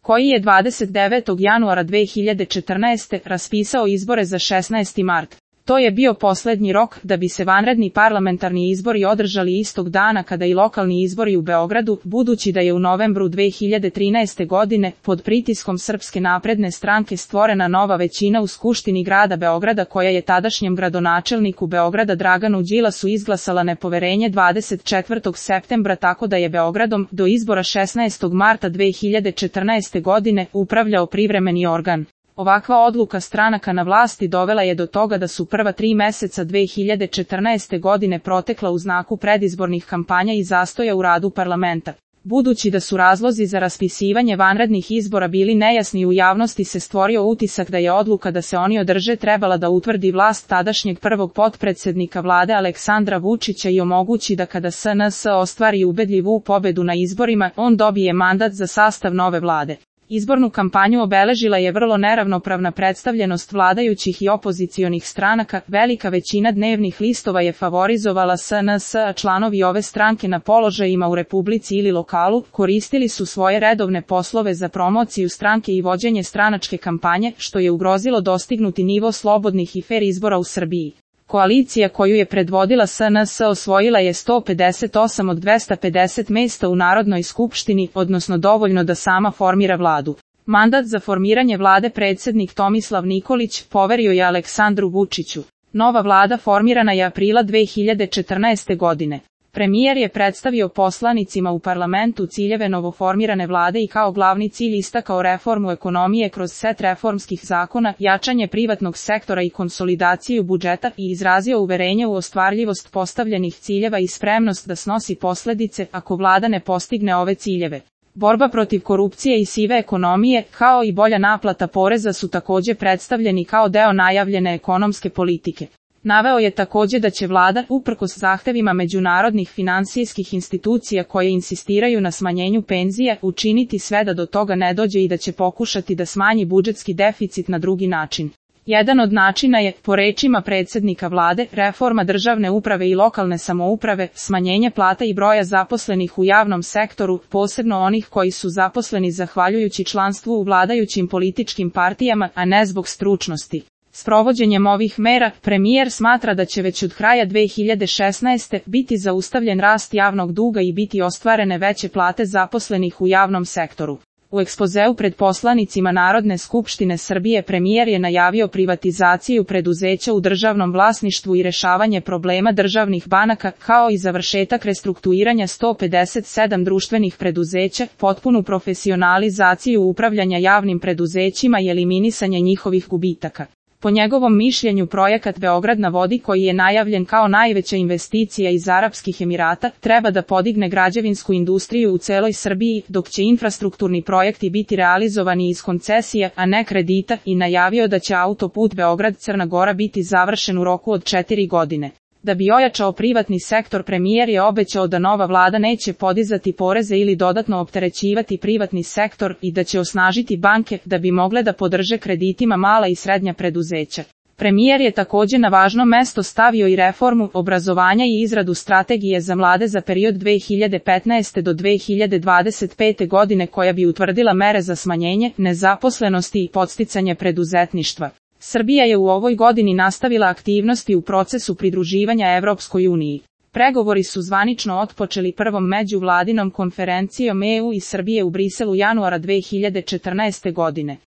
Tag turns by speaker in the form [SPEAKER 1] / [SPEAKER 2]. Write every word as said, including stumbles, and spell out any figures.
[SPEAKER 1] koji je dvadeset devetog januara dve hiljade četrnaeste. raspisao izbore za šesnaesti mart. To je bio posljednji rok da bi se vanredni parlamentarni izbori održali istog dana kada i lokalni izbori u Beogradu, budući da je u novembru dve hiljade trinaeste. godine pod pritiskom Srpske napredne stranke stvorena nova većina u Skupštini grada Beograda koja je tadašnjem gradonačelniku Beograda Draganu Đilasu izglasala nepoverenje dvadeset četvrtog septembra, tako da je Beogradom do izbora šesnaestog marta dve hiljade četrnaeste. godine upravljao privremeni organ. Ovakva odluka stranaka na vlasti dovela je do toga da su prva tri meseca dve hiljade četrnaeste. godine protekla u znaku predizbornih kampanja i zastoja u radu parlamenta. Budući da su razlozi za raspisivanje vanrednih izbora bili nejasni, u javnosti se stvorio utisak da je odluka da se oni održe trebala da utvrdi vlast tadašnjeg prvog potpredsednika vlade Aleksandra Vučića i omogući da kada S N S ostvari ubedljivu pobedu na izborima, on dobije mandat za sastav nove vlade. Izbornu kampanju obeležila je vrlo neravnopravna predstavljenost vladajućih i opozicionih stranaka, velika većina dnevnih listova je favorizovala S N S, a članovi ove stranke na položajima u Republici ili lokalu koristili su svoje redovne poslove za promociju stranke i vođenje stranačke kampanje, što je ugrozilo dostignuti nivo slobodnih i fer izbora u Srbiji. Koalicija koju je predvodila S N S osvojila je sto pedeset osam od dvesta pedeset mesta u Narodnoj skupštini, odnosno dovoljno da sama formira vladu. Mandat za formiranje vlade predsjednik Tomislav Nikolić poverio je Aleksandru Vučiću. Nova vlada formirana je aprila dve hiljade četrnaeste. godine. Premijer je predstavio poslanicima u parlamentu ciljeve novoformirane vlade i kao glavni cilj istakao reformu ekonomije kroz set reformskih zakona, jačanje privatnog sektora i konsolidaciju budžeta i izrazio uverenje u ostvarljivost postavljenih ciljeva i spremnost da snosi posljedice ako vlada ne postigne ove ciljeve. Borba protiv korupcije i sive ekonomije, kao i bolja naplata poreza su također predstavljeni kao deo najavljene ekonomske politike. Naveo je također da će vlada, uprkos zahtevima međunarodnih finansijskih institucija koje insistiraju na smanjenju penzija, učiniti sve da do toga ne dođe i da će pokušati da smanji budžetski deficit na drugi način. Jedan od načina je, po rečima predsjednika vlade, reforma državne uprave i lokalne samouprave, smanjenje plata i broja zaposlenih u javnom sektoru, posebno onih koji su zaposleni zahvaljujući članstvu u vladajućim političkim partijama, a ne zbog stručnosti. S provođenjem ovih mera, premijer smatra da će već od kraja dve hiljade šesnaeste. biti zaustavljen rast javnog duga i biti ostvarene veće plate zaposlenih u javnom sektoru. U ekspozeu pred poslanicima Narodne skupštine Srbije premijer je najavio privatizaciju preduzeća u državnom vlasništvu i rešavanje problema državnih banaka, kao i završetak restrukturiranja sto pedeset sedam društvenih preduzeća, potpunu profesionalizaciju upravljanja javnim preduzećima i eliminisanje njihovih gubitaka. Po njegovom mišljenju projekat Beograd na vodi, koji je najavljen kao najveća investicija iz Arapskih Emirata, treba da podigne građevinsku industriju u celoj Srbiji, dok će infrastrukturni projekti biti realizovani iz koncesija, a ne kredita, i najavio da će autoput Beograd-Crna Gora biti završen u roku od četiri godine. Da bi ojačao privatni sektor, premijer je obećao da nova vlada neće podizati poreze ili dodatno opterećivati privatni sektor i da će osnažiti banke da bi mogle da podrže kreditima mala i srednja preduzeća. Premijer je također na važno mesto stavio i reformu obrazovanja i izradu strategije za mlade za period dve hiljade petnaeste. do dve hiljade dvadeset pete. godine koja bi utvrdila mere za smanjenje nezaposlenosti i podsticanje preduzetništva. Srbija je u ovoj godini nastavila aktivnosti u procesu pridruživanja Evropskoj uniji. Pregovori su zvanično otpočeli prvom međuvladinom konferencijom E U i Srbije u Briselu januara dve hiljade četrnaeste. godine.